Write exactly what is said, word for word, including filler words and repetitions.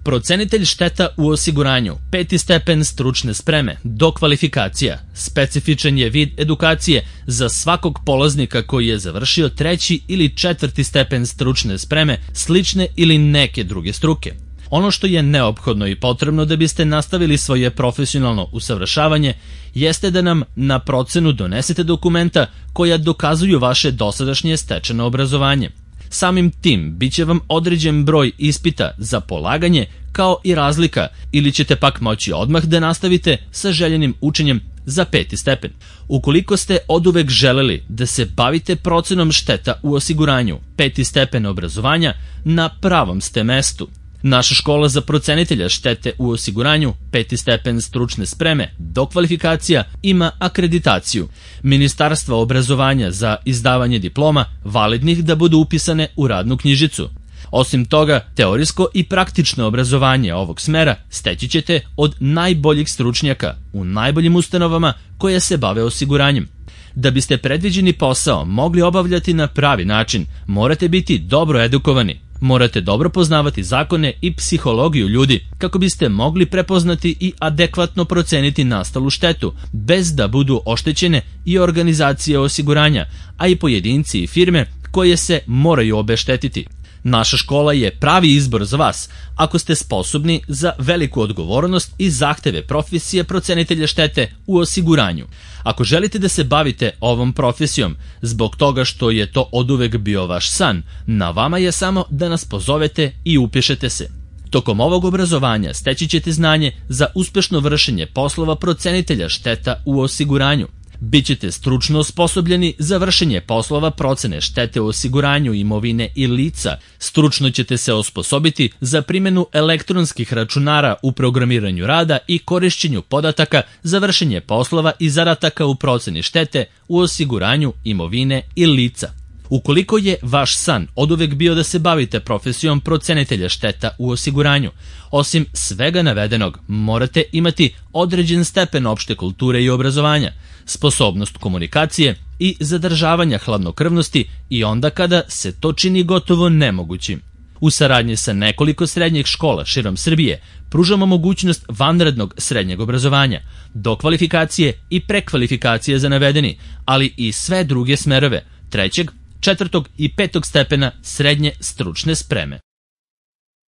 Procenitelj šteta u osiguranju, peti stepen stručne spreme, dokvalifikacija, specifičan je vid edukacije za svakog polaznika koji je završio treći ili četvrti stepen stručne spreme, slične ili neke druge struke. Ono što je neophodno i potrebno da biste nastavili svoje profesionalno usavršavanje jeste da nam na procenu donesete dokumenta koja dokazuju vaše dosadašnje stečeno obrazovanje. Samim tim biće vam određen broj ispita za polaganje kao i razlika, ili ćete pak moći odmah da nastavite sa željenim učenjem za peti stepen. Ukoliko ste oduvek želeli da se bavite procenom šteta u osiguranju, peti stepen obrazovanja, na pravom ste mestu. Naša škola za procenitelja štete u osiguranju, peti stepen stručne spreme, dokvalifikacija, ima akreditaciju Ministarstva obrazovanja za izdavanje diploma validnih da budu upisane u radnu knjižicu. Osim toga, teorijsko i praktično obrazovanje ovog smera steći ćete od najboljih stručnjaka u najboljim ustanovama koje se bave osiguranjem. Da biste predviđeni posao mogli obavljati na pravi način, morate biti dobro edukovani. Morate dobro poznavati zakone i psihologiju ljudi kako biste mogli prepoznati i adekvatno proceniti nastalu štetu, bez da budu oštećene i organizacije osiguranja, a i pojedinci i firme koje se moraju obeštetiti. Naša škola je pravi izbor za vas ako ste sposobni za veliku odgovornost i zahteve profesije procenitelja štete u osiguranju. Ako želite da se bavite ovom profesijom zbog toga što je to oduvek bio vaš san, na vama je samo da nas pozovete i upišete se. Tokom ovog obrazovanja steći ćete znanje za uspešno vršenje poslova procenitelja šteta u osiguranju. Bićete stručno osposobljeni za vršenje poslova procene štete u osiguranju imovine i lica. Stručno ćete se osposobiti za primjenu elektronskih računara u programiranju rada i korišćenju podataka za vršenje poslova i zadataka u proceni štete u osiguranju imovine i lica. Ukoliko je vaš san oduvek bio da se bavite profesijom procenitelja šteta u osiguranju, osim svega navedenog, morate imati određen stepen opšte kulture i obrazovanja, sposobnost komunikacije i zadržavanja hladnokrvnosti i onda kada se to čini gotovo nemogućim. U saradnji sa nekoliko srednjih škola širom Srbije pružamo mogućnost vanrednog srednjeg obrazovanja, dokvalifikacije i prekvalifikacije za navedeni, ali i sve druge smerove trećeg, četvrtog i petog stepena srednje stručne spreme.